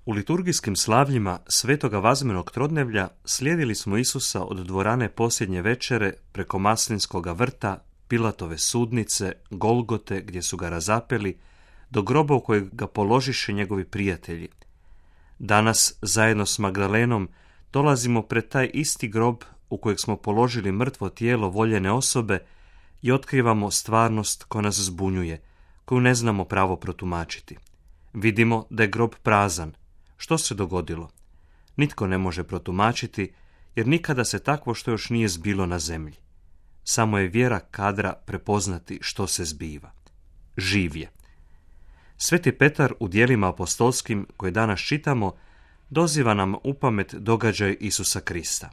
U liturgijskim slavljima Svetoga Vazmenog trodnevlja slijedili smo Isusa od dvorane posljednje večere preko Maslinskoga vrta, Pilatove sudnice, Golgote gdje su ga razapeli, do groba u kojeg ga položiše njegovi prijatelji. Danas, zajedno s Magdalenom, dolazimo pred taj isti grob u kojeg smo položili mrtvo tijelo voljene osobe i otkrivamo stvarnost koja nas zbunjuje, koju ne znamo pravo protumačiti. Vidimo da je grob prazan. Što se dogodilo? Nitko ne može protumačiti, jer nikada se takvo što još nije zbilo na zemlji. Samo je vjera kadra prepoznati što se zbiva. Živ je. Sveti Petar u djelima apostolskim koje danas čitamo doziva nam upamet događaj Isusa Krista.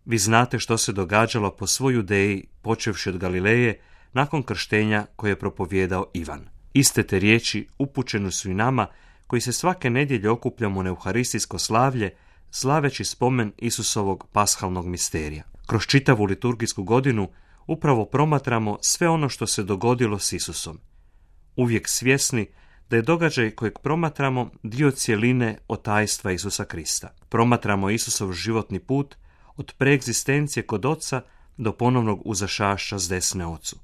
Vi znate što se događalo po svoj Judeji, počevši od Galileje, nakon krštenja koje je propovijedao Ivan. Iste te riječi upućene su i nama koji se svake nedjelje okupljamo na euharistijsko slavlje, slaveći spomen Isusovog pashalnog misterija. Kroz čitavu liturgijsku godinu upravo promatramo sve ono što se dogodilo s Isusom. Uvijek svjesni da je događaj kojeg promatramo dio cjeline od tajstva Isusa Krista. Promatramo Isusov životni put od preegzistencije kod Oca do ponovnog uzašašća s desne Ocu.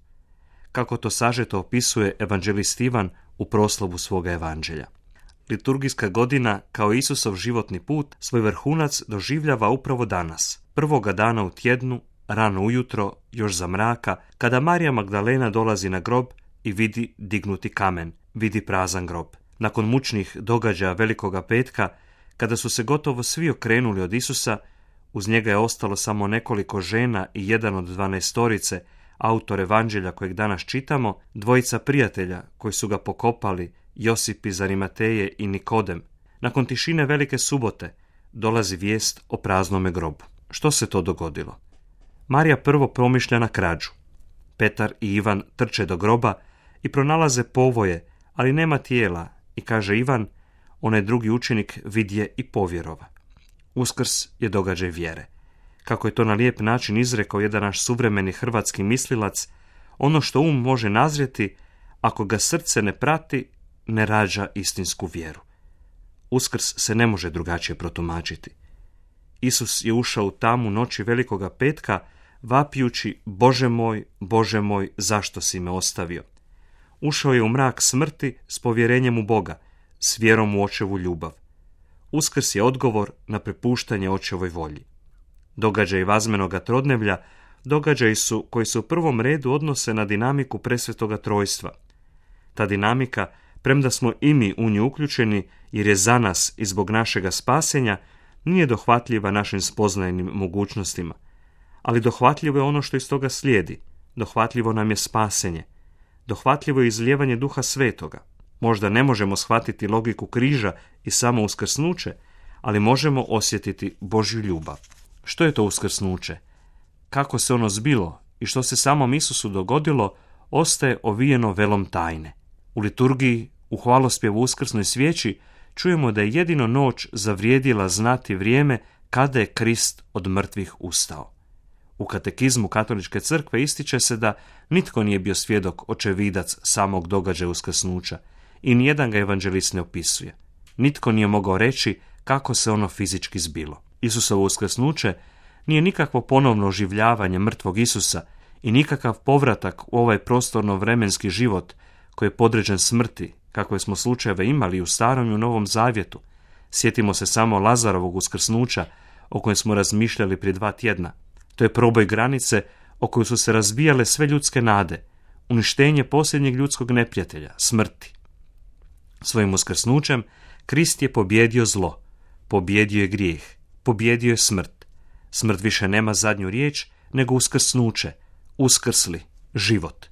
Kako to sažeto opisuje evanđelist Ivan u proslovu svoga evanđelja. Liturgijska godina, kao Isusov životni put, svoj vrhunac doživljava upravo danas, prvoga dana u tjednu, rano ujutro, još za mraka, kada Marija Magdalena dolazi na grob i vidi dignuti kamen, vidi prazan grob. Nakon mučnih događaja Velikoga petka, kada su se gotovo svi okrenuli od Isusa, uz njega je ostalo samo nekoliko žena i jedan od 12-torice, autor evanđelja kojeg danas čitamo, dvojica prijatelja koji su ga pokopali, Josip iz Arimateje i Nikodem. Nakon tišine Velike subote dolazi vijest o praznome grobu. Što se to dogodilo? Marija prvo promišlja na krađu. Petar i Ivan trče do groba i pronalaze povoje, ali nema tijela, i kaže Ivan, onaj drugi učenik vidje i povjerova. Uskrs je događaj vjere. Kako je to na lijep način izrekao jedan naš suvremeni hrvatski mislilac, ono što može nazrijeti, ako ga srce ne prati, ne rađa istinsku vjeru. Uskrs se ne može drugačije protumačiti. Isus je ušao u tamu noći Velikoga petka, vapijući, Bože moj, zašto si me ostavio? Ušao je u mrak smrti s povjerenjem u Boga, s vjerom u Očevu ljubav. Uskrs je odgovor na prepuštanje Očevoj volji. Događaji Vazmenoga trodnevlja događaji su koji se u prvom redu odnose na dinamiku presvetoga trojstva. Ta dinamika, premda smo i mi u nju uključeni jer je za nas i zbog našega spasenja, nije dohvatljiva našim spoznajnim mogućnostima, ali dohvatljivo je ono što iz toga slijedi. Dohvatljivo nam je spasenje. Dohvatljivo je izlijevanje Duha Svetoga. Možda ne možemo shvatiti logiku križa i samo uskrsnuće, ali možemo osjetiti Božju ljubav. Što je to uskrsnuće? Kako se ono zbilo i što se samom Isusu dogodilo, ostaje ovijeno velom tajne. U liturgiji, u hvalospjevu uskrsnoj svijeći, čujemo da je jedino noć zavrijedila znati vrijeme kada je Krist od mrtvih ustao. U katekizmu Katoličke crkve ističe se da nitko nije bio svjedok, očevidac samog događaja uskrsnuća i nijedan ga evanđelist ne opisuje. Nitko nije mogao reći kako se ono fizički zbilo. Isusovo uskrsnuće nije nikakvo ponovno oživljavanje mrtvog Isusa i nikakav povratak u ovaj prostorno-vremenski život koji je podređen smrti, kakve smo slučajeve imali u Starom i u Novom Zavjetu. Sjetimo se samo Lazarovog uskrsnuća o kojem smo razmišljali prije 2 tjedna. To je proboj granice o kojoj su se razbijale sve ljudske nade, uništenje posljednjeg ljudskog neprijatelja, smrti. Svojim uskrsnućem Krist je pobjedio zlo, pobjedio je grijeh, pobjedio je smrt. Smrt više nema zadnju riječ, nego uskrsnuće, uskrsli, život.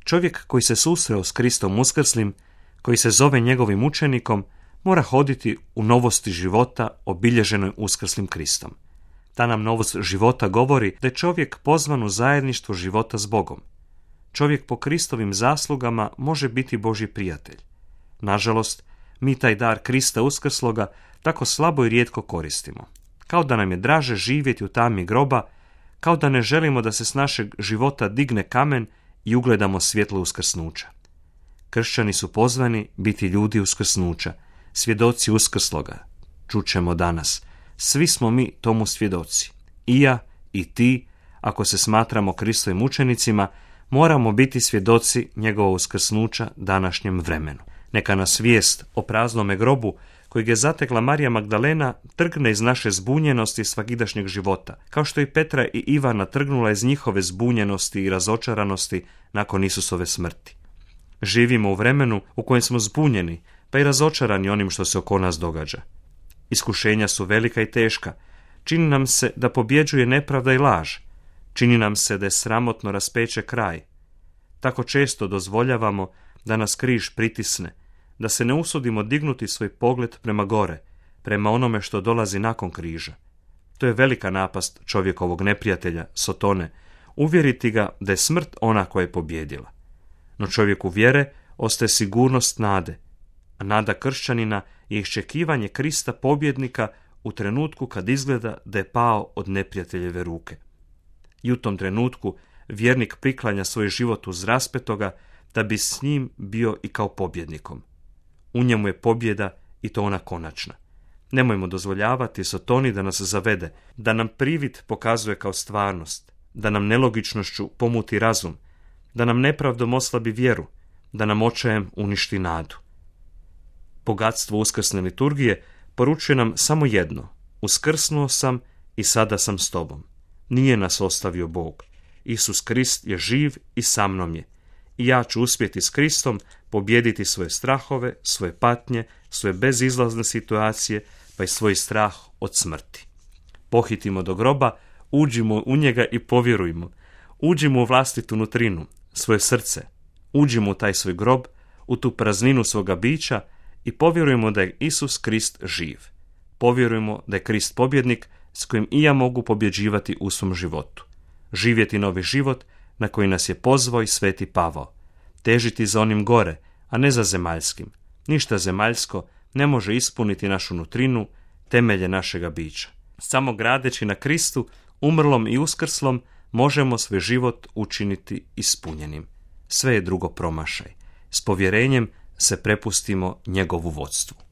Čovjek koji se susreo s Kristom uskrslim, koji se zove njegovim učenikom, mora hoditi u novosti života obilježenoj uskrslim Kristom. Ta nam novost života govori da je čovjek pozvan u zajedništvo života s Bogom. Čovjek po Kristovim zaslugama može biti Božji prijatelj. Nažalost, mi taj dar Krista uskrsloga tako slabo i rijetko koristimo. Kao da nam je draže živjeti u tami groba, kao da ne želimo da se s našeg života digne kamen i ugledamo svjetlo uskrsnuća. Kršćani su pozvani biti ljudi uskrsnuća, svjedoci uskrsloga. Čućemo danas. Svi smo mi tomu svjedoci. I ja i ti, ako se smatramo Kristovim učenicima, moramo biti svjedoci njegova uskrsnuća današnjem vremenu. Neka nas vijest o praznome grobu kojeg je zatekla Marija Magdalena trgne iz naše zbunjenosti svakidašnjeg života, kao što i Petra i Ivana trgnula iz njihove zbunjenosti i razočaranosti nakon Isusove smrti. Živimo u vremenu u kojem smo zbunjeni, pa i razočarani onim što se oko nas događa. Iskušenja su velika i teška. Čini nam se da pobjeđuje nepravda i laž. Čini nam se da je sramotno raspeće kraj. Tako često dozvoljavamo da nas križ pritisne, da se ne usudimo dignuti svoj pogled prema gore, prema onome što dolazi nakon križa. To je velika napast čovjekovog neprijatelja, Sotone, uvjeriti ga da je smrt ona koja je pobjedila. No čovjeku vjere ostaje sigurnost nade, a nada kršćanina je iščekivanje Krista pobjednika u trenutku kad izgleda da je pao od neprijateljeve ruke. I u tom trenutku vjernik priklanja svoj život uz raspetoga da bi s njim bio i kao pobjednikom. U njemu je pobjeda i to ona konačna. Nemojmo dozvoljavati Sotoni da nas zavede, da nam privid pokazuje kao stvarnost, da nam nelogičnošću pomuti razum, da nam nepravdom oslabi vjeru, da nam očajem uništi nadu. Bogatstvo uskrsne liturgije poručuje nam samo jedno: uskrsnuo sam i sada sam s tobom. Nije nas ostavio Bog. Isus Krist je živ i sa mnom je. I ja ću uspjeti s Kristom pobijediti svoje strahove, svoje patnje, svoje bezizlazne situacije, pa i svoj strah od smrti. Pohitimo do groba, uđimo u njega i povjerujmo. Uđimo u vlastitu nutrinu, svoje srce. Uđimo u taj svoj grob, u tu prazninu svoga bića i povjerujemo da je Isus Krist živ. Povjerujemo da je Krist pobjednik s kojim i ja mogu pobjeđivati u svom životu. Živjeti novi život na koji nas je pozvao i sveti Pavao. Težiti za onim gore, a ne za zemaljskim. Ništa zemaljsko ne može ispuniti našu nutrinu, temelje našega bića. Samo gradeći na Kristu, umrlom i uskrslom, možemo svoj život učiniti ispunjenim. Sve je drugo promašaj. S povjerenjem se prepustimo njegovu vodstvu.